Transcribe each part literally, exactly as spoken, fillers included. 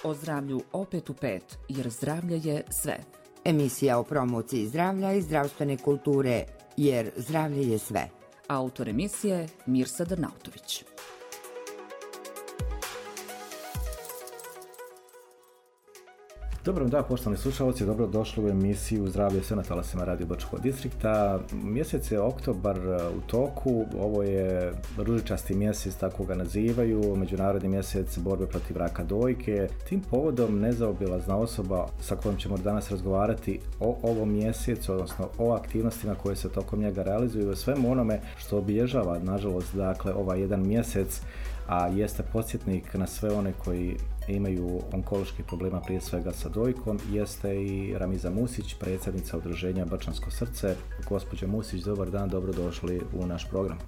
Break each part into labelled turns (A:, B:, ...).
A: O zdravlju opet u pet, jer zdravlje je sve.
B: Emisija o promociji zdravlja i zdravstvene kulture, jer zdravlje je sve.
A: Autor emisije Mirsad Arnautović.
C: Dobro dan, poštovani slušalci, dobro došli u emisiju Zdravlje sve na talasima Radio Brčkog distrikta. Mjesec je oktobar u toku, ovo je ružičasti mjesec, tako ga nazivaju, međunarodni mjesec borbe protiv raka dojke. Tim povodom nezaobilazna osoba sa kojom ćemo danas razgovarati o ovom mjesecu, odnosno o aktivnostima koje se tokom njega realizuju, o svemu onome što obilježava, nažalost, dakle, ovaj jedan mjesec, a jeste podsjetnik na sve one koji imaju onkoloških problema, prije svega sa dojkom, jeste i Ramiza Musić, predsjednica udruženja Brčansko srce. Gospođo Musić, dobar dan, dobrodošli u naš program.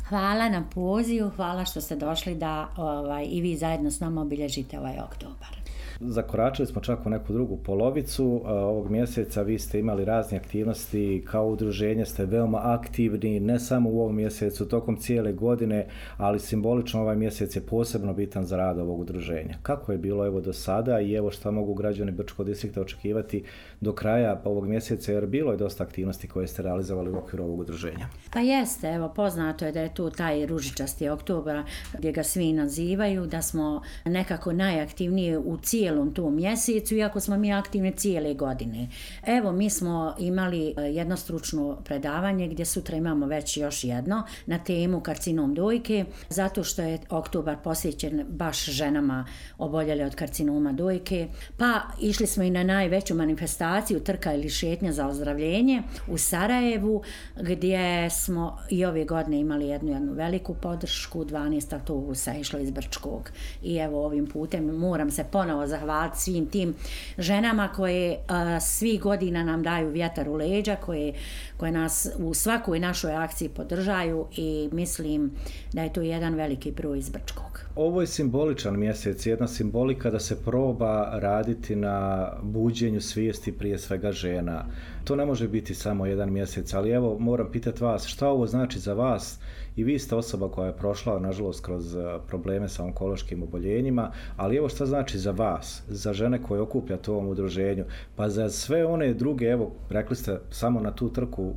D: Hvala na pozivu, hvala što ste došli da ovaj, i vi zajedno s nama obilježite ovaj oktobar.
C: Zakoračili smo čak u neku drugu polovicu ovog mjeseca, vi ste imali razne aktivnosti, kao udruženje ste veoma aktivni, ne samo u ovom mjesecu, tokom cijele godine, ali simbolično ovaj mjesec je posebno bitan za rad ovog udruženja. Kako je bilo evo do sada i evo šta mogu građani Brčkog distrikta očekivati do kraja ovog mjeseca, jer bilo je dosta aktivnosti koje ste realizovali u okviru ovog udruženja?
D: Pa jeste, evo poznato je da je tu taj ružičasti oktobar gdje ga svi nazivaju, da smo nekako najaktivniji u cijelom tom mjesecu, iako smo mi aktivni cijele godine. Evo, mi smo imali jedno stručno predavanje gdje sutra imamo već još jedno na temu karcinom dojke, zato što je oktobar posvećen baš ženama oboljele od karcinoma dojke. Pa išli smo i na najveću manifestaciju trka ili šetnja za ozdravljenje u Sarajevu, gdje smo i ove godine imali jednu, jednu veliku podršku, dvanaest autobusa išlo iz Brčkog. I evo ovim putem moram se ponovo zahvaliti svim tim ženama koje a, svih godina nam daju vjetar u leđa, koje, koje nas u svakoj našoj akciji podržaju i mislim da je to jedan veliki broj iz Brčkog.
C: Ovo je simboličan mjesec, jedna simbolika da se proba raditi na buđenju svijesti prije svega žena. To ne može biti samo jedan mjesec, ali evo moram pitati vas, šta ovo znači za vas? I vi ste osoba koja je prošla, nažalost, kroz probleme sa onkološkim oboljenjima, ali evo šta znači za vas, za žene koje okupljate u ovom udruženju, pa za sve one druge, evo, rekli ste, samo na tu trku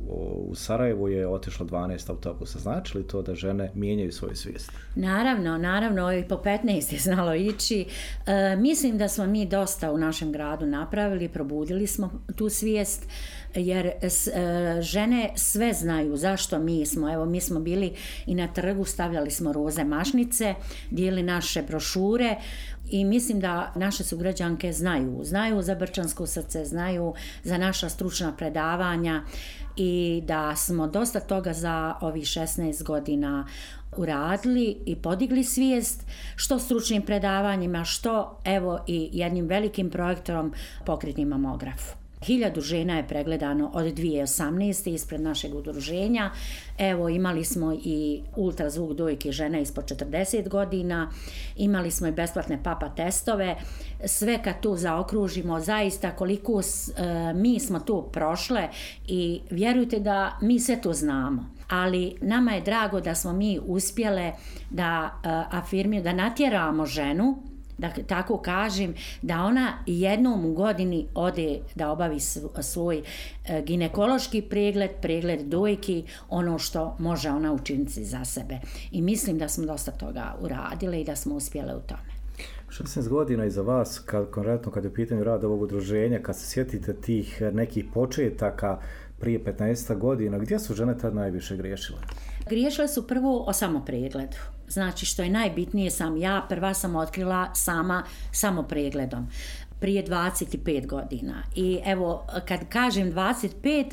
C: u Sarajevu je otišlo dvanaest autobusa. Znači li to da žene mijenjaju svoju svijest?
D: Naravno, naravno, i po petnaest je znalo ići. E, mislim da smo mi dosta u našem gradu napravili, probudili smo tu svijest, jer s, e, žene sve znaju zašto mi smo, evo mi smo bili i na trgu, stavljali smo roze mašnice, dijeli naše brošure i mislim da naše sugrađanke znaju, znaju za Brčansko srce, znaju za naša stručna predavanja i da smo dosta toga za ovih šesnaest godina uradili i podigli svijest, što stručnim predavanjima, što evo i jednim velikim projektorom pokretni mamograf. Hiljadu žena je pregledano od dvije tisuće osamnaeste ispred našeg udruženja. Evo, imali smo i ultrazvuk dojke žena ispod četrdeset godina, imali smo i besplatne papa testove. Sve kad tu zaokružimo, zaista koliko e, mi smo tu prošle i vjerujte da mi sve to znamo. Ali nama je drago da smo mi uspjele da e, afirmiramo, da natjeramo ženu, da tako kažem, da ona jednom u godini ode da obavi svoj ginekološki pregled, pregled dojki, ono što može ona učiniti za sebe. I mislim da smo dosta toga uradile i da smo uspjele u tome.
C: šesnaest godina iza vas, kad, konkretno kad je u pitanju rada ovog udruženja, kad se sjetite tih nekih početaka prije petnaest godina, gdje su žene tad najviše griješile?
D: Griješile su prvo o samopregledu. Znači, što je najbitnije, sam ja prva sam otkrila sama samopregledom prije dvadeset pet godina. I evo, kad kažem dvadeset pet,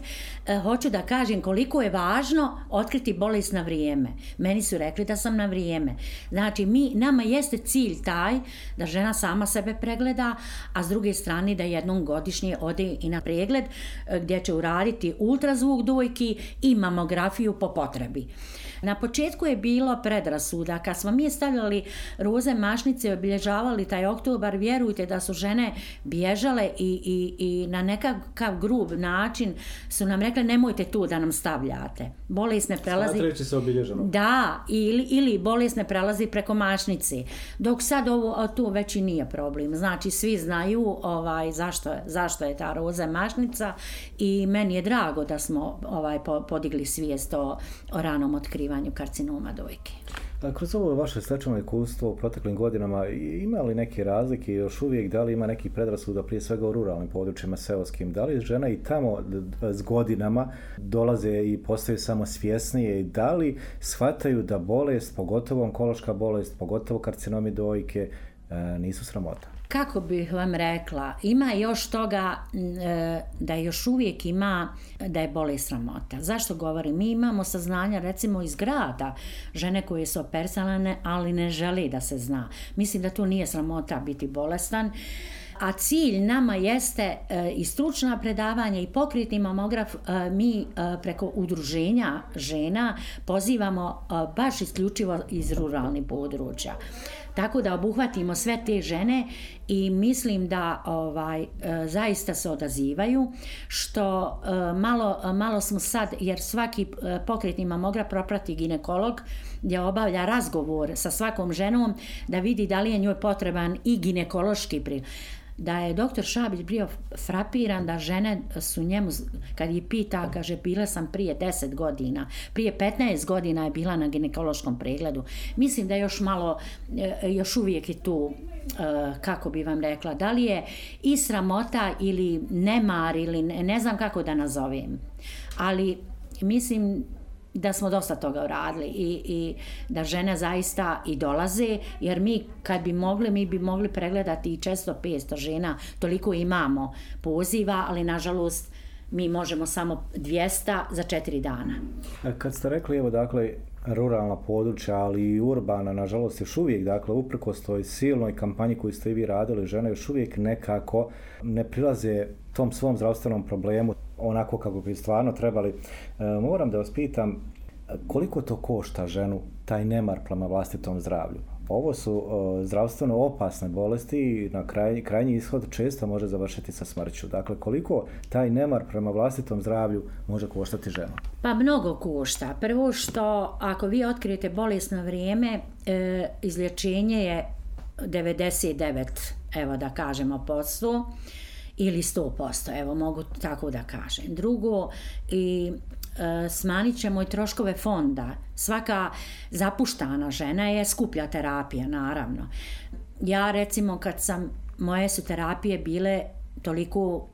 D: eh, hoću da kažem koliko je važno otkriti bolest na vrijeme. Meni su rekli da sam na vrijeme. Znači, mi, nama jeste cilj taj da žena sama sebe pregleda, a s druge strane da jednom godišnje ode i na pregled eh, gdje će uraditi ultrazvuk dojki i mamografiju po potrebi. Na početku je bilo predrasuda. Kad smo mi stavljali roze mašnice i obilježavali taj oktobar, vjerujte da su žene bježale i, i, i na nekakav grub način su nam rekli nemojte tu da nam stavljate. Bolest ne prelazi...
C: Smatrajući se obilježeno.
D: Da, ili, ili bolest ne prelazi preko mašnice. Dok sad ovo tu već i nije problem. Znači svi znaju ovaj, zašto, zašto je ta roza mašnica i meni je drago da smo ovaj, podigli svijest o, o ranom otkrivanju karcinoma dojke.
C: A kroz ovo vaše stečeno iskustvo u proteklim godinama, ima li neke razlike još uvijek, da li ima neki predrasuda prije svega u ruralnim područjima seoskim, da li žena i tamo s godinama dolaze i postaju samo svjesnije i da li shvataju da bolest, pogotovo onkološka bolest, pogotovo karcinomi dojke, nisu sramota?
D: Kako bih vam rekla, ima još toga da još uvijek ima da je bolest sramota. Zašto govorim? Mi imamo saznanja recimo iz grada, žene koje su operisane, ali ne žele da se zna. Mislim da tu nije sramota biti bolestan. A cilj nama jeste e, i stručna predavanja i pokretni mamograf, e, mi e, preko udruženja žena pozivamo e, baš isključivo iz ruralnih područja. Tako da obuhvatimo sve te žene i mislim da ovaj, e, zaista se odazivaju, što e, malo, malo smo sad, jer svaki e, pokretni mamograf proprati ginekolog gdje obavlja razgovor sa svakom ženom da vidi da li je njoj potreban i ginekološki pri. Da je doktor Šabić bio frapiran da žene su njemu, kad je pita, kaže, bila sam prije deset godina, prije petnaest godina je bila na ginekološkom pregledu. Mislim da još malo, još uvijek je tu, kako bi vam rekla, da li je i sramota ili nemar ili ne, ne znam kako da nazovem. Ali mislim da smo dosta toga uradili i, i da žene zaista i dolaze, jer mi kad bi mogli, mi bi mogli pregledati i često petsto žena, toliko imamo poziva, ali nažalost mi možemo samo dvjesto za četiri dana.
C: Kad ste rekli, evo dakle, ruralna područja, ali i urbana, nažalost još uvijek, dakle, uprkos toj silnoj kampanji koju ste i vi radili, žene još uvijek nekako ne prilaze tom svom zdravstvenom problemu onako kako bi stvarno trebali. E, moram da vas pitam, koliko to košta ženu, taj nemar prema vlastitom zdravlju? Ovo su e, zdravstveno opasne bolesti i na kraj, krajnji ishod često može završiti sa smrću. Dakle, koliko taj nemar prema vlastitom zdravlju može koštati ženu?
D: Pa mnogo košta. Prvo što ako vi otkrijete bolest na vrijeme, e, izlječenje je devedeset devet, evo da kažemo, posto ili sto posto, evo mogu tako da kažem. Drugo, i e, smanjit ćemo i troškove fonda. Svaka zapuštana žena je skuplja terapija, naravno. Ja recimo kad sam, moje su terapije bile toliko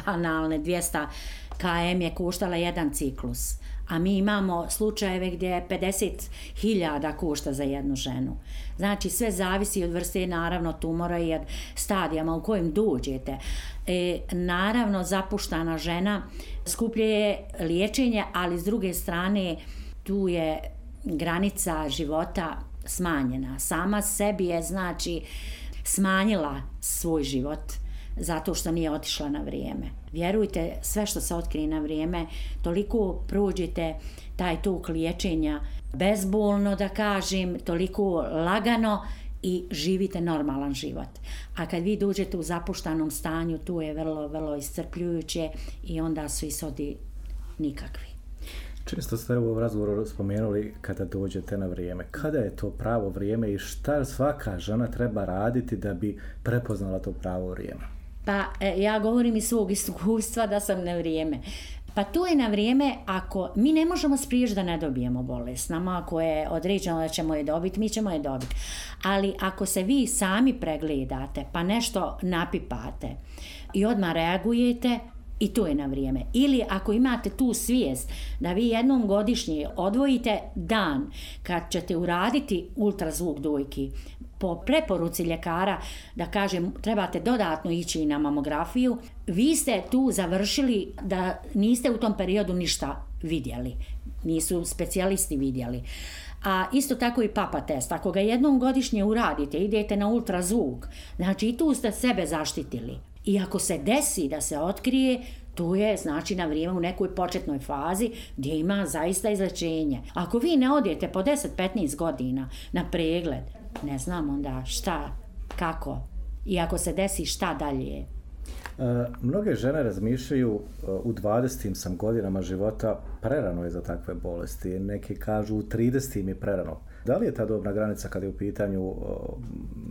D: banalne, dvjesto kilometara je koštala jedan ciklus, a mi imamo slučajeve gdje je pedeset hiljada košta za jednu ženu. Znači sve zavisi od vrste, naravno, tumora i od stadijama u kojem dođete. E, naravno, zapuštana žena skuplje je liječenje, ali s druge strane tu je granica života smanjena. Sama sebi je, znači, smanjila svoj život zato što nije otišla na vrijeme. Vjerujte, sve što se otkrije na vrijeme, toliko prođete taj tok liječenja bezbolno, da kažem, toliko lagano i živite normalan život. A kad vi dođete u zapuštanom stanju, tu je vrlo, vrlo iscrpljujuće i onda su ishodi nikakvi.
C: Često ste u razgovoru spomenuli kada dođete na vrijeme. Kada je to pravo vrijeme i šta svaka žena treba raditi da bi prepoznala to pravo vrijeme?
D: Pa ja govorim iz svog iskustva da sam na vrijeme. Pa to je na vrijeme ako mi ne možemo spriječiti da ne dobijemo bolest. Nama ako je određeno da ćemo je dobiti, mi ćemo je dobiti. Ali ako se vi sami pregledate pa nešto napipate i odmah reagujete, i to je na vrijeme. Ili ako imate tu svijest da vi jednom godišnje odvojite dan kad ćete uraditi ultrazvuk dojki, po preporuci ljekara, da kažem, trebate dodatno ići na mamografiju, vi ste tu završili da niste u tom periodu ništa vidjeli. Nisu specijalisti vidjeli. A isto tako i papa test. Ako ga jednom godišnje uradite, idete na ultrazvuk, znači i tu ste sebe zaštitili. I ako se desi da se otkrije, tu je znači na vrijeme u nekoj početnoj fazi gdje ima zaista izlečenje. Ako vi ne odete po deset do petnaest godina na pregled, ne znam onda šta, kako i ako se desi šta dalje.
C: E, mnoge žene razmišljaju u dvadesetim sam godinama života, prerano je za takve bolesti. Neki kažu u tridesetim je prerano. Da li je ta dobna granica kada je u pitanju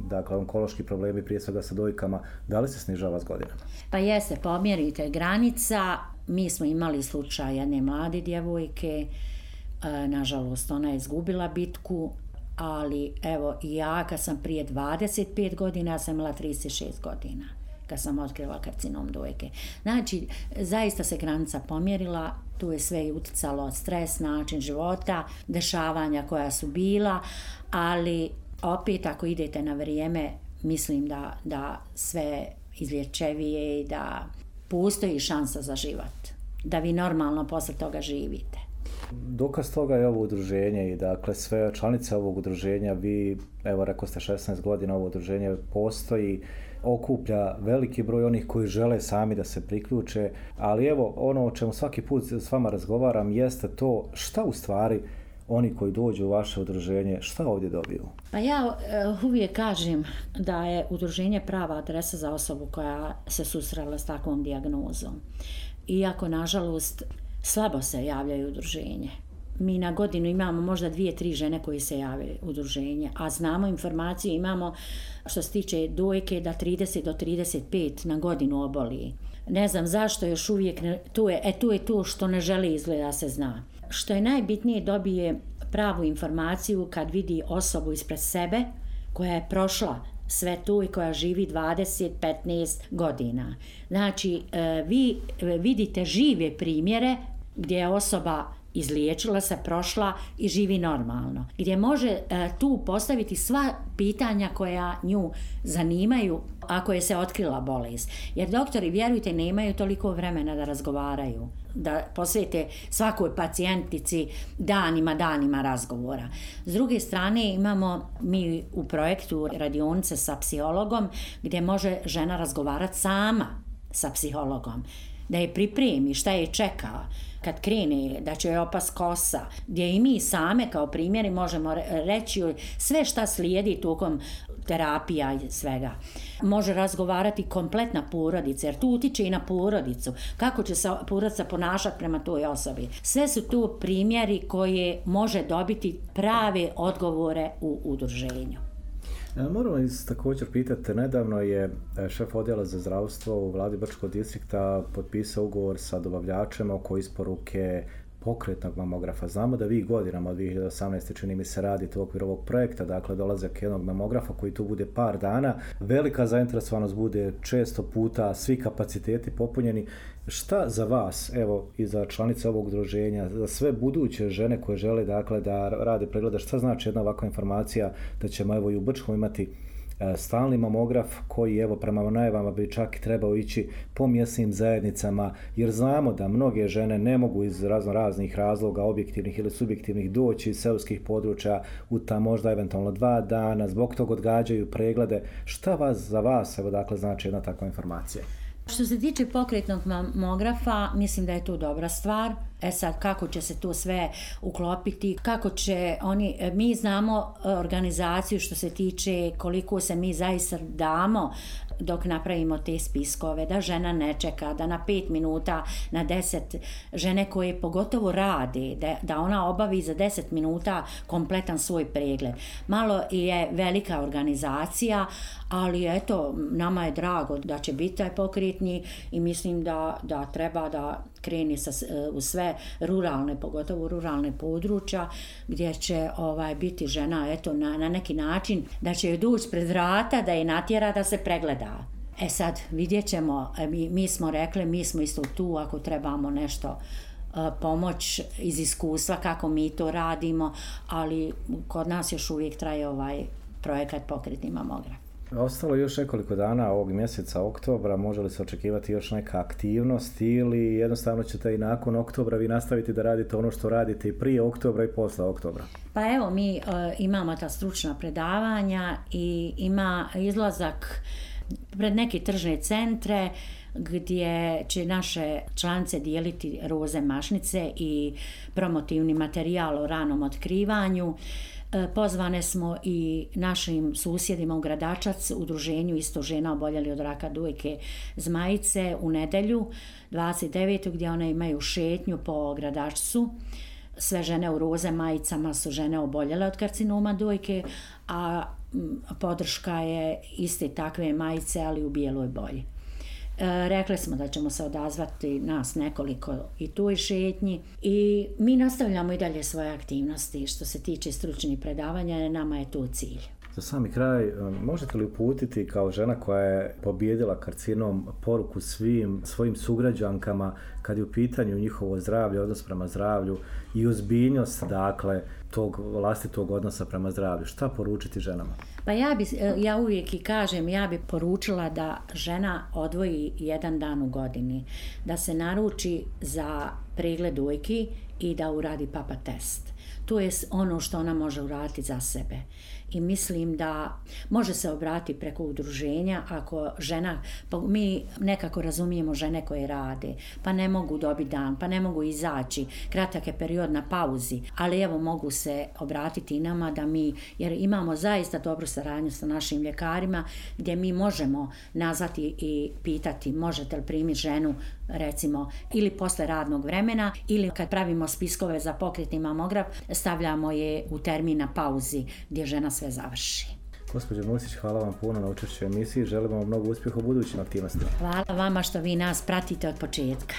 C: dakle, onkološki problemi, prije svega sa dojkama, da li se snižava s godinama?
D: Pa jeste, pomjerite granica. Mi smo imali slučaj jedne mlade djevojke, e, nažalost ona je izgubila bitku, ali evo i ja kad sam prije dvadeset pet godina, ja sam imala trideset šest godina kad sam otkrila karcinom dojke. Znači, zaista se granica pomjerila, tu je sve i uticalo stres, način života, dešavanja koja su bila, ali opet ako idete na vrijeme, mislim da, da sve izlječevije i da postoji šansa za život, da vi normalno posle toga živite.
C: Dokaz toga je ovo udruženje i dakle sve članice ovog udruženja, vi, evo rekao ste šesnaest godina ovo udruženje postoji, okuplja veliki broj onih koji žele sami da se priključe, ali evo ono o čemu svaki put s vama razgovaram jeste to šta u stvari oni koji dođu u vaše udruženje, šta ovdje dobiju?
D: Pa ja uh, uvijek kažem da je udruženje prava adresa za osobu koja se susrela s takvom dijagnozom. Iako, nažalost, slabo se javljaju udruženje. Mi na godinu imamo možda dvije, tri žene koji se jave u udruženje, a znamo informaciju, imamo što se tiče dojke da trideset do trideset pet na godinu oboli. Ne znam zašto još uvijek, ne, tu je, e tu je to što ne želi izgleda se zna. Što je najbitnije, dobije pravu informaciju kad vidi osobu ispred sebe koja je prošla sve tu i koja živi dvadeset do petnaest godina. Znači, vi vidite žive primjere gdje je osoba izliječila se, prošla i živi normalno. Gdje može e, tu postaviti sva pitanja koja nju zanimaju ako je se otkrila bolest. Jer doktori, vjerujte, nemaju toliko vremena da razgovaraju, da posvete svakoj pacijentici danima, danima razgovora. S druge strane, imamo mi u projektu radionice sa psihologom gdje može žena razgovarati sama sa psihologom, da je pripremi šta je čeka kad krene, da će joj opast kosa, gdje i mi same kao primjeri možemo reći sve šta slijedi tokom terapija i svega. Može razgovarati kompletna porodica, jer tu utiče i na porodicu, kako će se porodica ponašati prema toj osobi. Sve su tu primjeri koje može dobiti prave odgovore u udruženju.
C: Moram vas također pitati, nedavno je šef odjela za zdravstvo u vladi Brčkog distrikta potpisao ugovor sa dobavljačem oko isporuke pokretnog mamografa. Znamo da vi godinama od dvije hiljade osamnaeste čini mi se radite u okviru ovog projekta, dakle dolazak jednog mamografa koji tu bude par dana, velika zainteresovanost bude često puta, svi kapaciteti popunjeni. Šta za vas, evo i za članice ovog udruženja, za sve buduće žene koje žele dakle da rade preglede, šta znači jedna ovakva informacija da ćemo evo i u Brčkom imati stalni mamograf koji evo prema najavama bi čak trebao ići po mjesnim zajednicama, jer znamo da mnoge žene ne mogu iz razno raznih razloga, objektivnih ili subjektivnih, doći iz seoskih područja u ta možda eventualno dva dana, zbog toga odgađaju preglede. Šta vas za vas evo dakle znači jedna takva informacija?
D: Što se tiče pokretnog mamografa, mislim da je to dobra stvar. E sad, kako će se to sve uklopiti, kako će oni, mi znamo organizaciju što se tiče koliko se mi zaista damo dok napravimo te spiskove, da žena ne čeka, da na pet minuta, na deset, žene koje pogotovo rade, da, da ona obavi za deset minuta kompletan svoj pregled. Malo je velika organizacija, ali eto, nama je drago da će biti taj pokretni i mislim da, da treba da kreni sa, u sve ruralne, pogotovo ruralne područja, gdje će ovaj, biti žena eto, na, na neki način, da će joj doći pred vrata, da je natjera da se pregleda. E sad, vidjet ćemo, mi, mi smo rekli, mi smo isto tu ako trebamo nešto uh, pomoć iz iskustva kako mi to radimo, ali kod nas još uvijek traje ovaj projekat pokretni mamograf.
C: Ostalo je još nekoliko dana ovog mjeseca oktobra, može li se očekivati još neka aktivnost ili jednostavno ćete i nakon oktobra vi nastaviti da radite ono što radite i prije oktobra i posle oktobra?
D: Pa evo, mi uh, imamo ta stručna predavanja i ima izlazak pred neke tržne centre gdje će naše članice dijeliti roze mašnice i promotivni materijal o ranom otkrivanju. Pozvane smo i našim susjedima u Gradačac, udruženju isto žena oboljeli od raka dojke Zmajice u nedjelju dvadeset devetog gdje one imaju šetnju po Gradačcu. Sve žene u roze majicama su žene oboljele od karcinoma dojke, a podrška je iste takve majice, ali u bijeloj boji. E, rekli smo da ćemo se odazvati nas nekoliko i toj šetnji i mi nastavljamo i dalje svoje aktivnosti što se tiče stručnih predavanja, nama je to cilj.
C: Za sami kraj, možete li uputiti kao žena koja je pobijedila karcinom poruku svim svojim sugrađankama kad je u pitanju njihovo zdravlje, odnos prema zdravlju i ozbiljnost, dakle, tog vlastitog odnosa prema zdravlju? Šta poručiti ženama?
D: Pa ja, bi, ja uvijek i kažem, ja bi poručila da žena odvoji jedan dan u godini, da se naruči za pregled dojki i da uradi papa test. To je ono što ona može uraditi za sebe. I mislim da može se obratiti preko udruženja ako žena, mi nekako razumijemo žene koje rade, pa ne mogu dobiti dan, pa ne mogu izaći, kratak je period na pauzi, ali evo mogu se obratiti i nama da mi, jer imamo zaista dobru saradnju sa našim ljekarima gdje mi možemo nazvati i pitati možete li primiti ženu recimo ili posle radnog vremena ili kad pravimo spiskove za pokretni mamograf stavljamo je u termin na pauzi gdje žena sve završi.
C: Gospođo Musić, hvala vam puno na učešću u emisiji, želimo vam mnogo uspjeha u budućim aktivnostima.
D: Hvala vama što vi nas pratite od početka.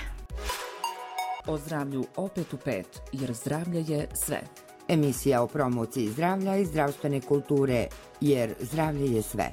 A: O zdravlju opet u pet, jer zdravlje je sve.
B: Emisija o promociji zdravlja i zdravstvene kulture, jer zdravlje je sve.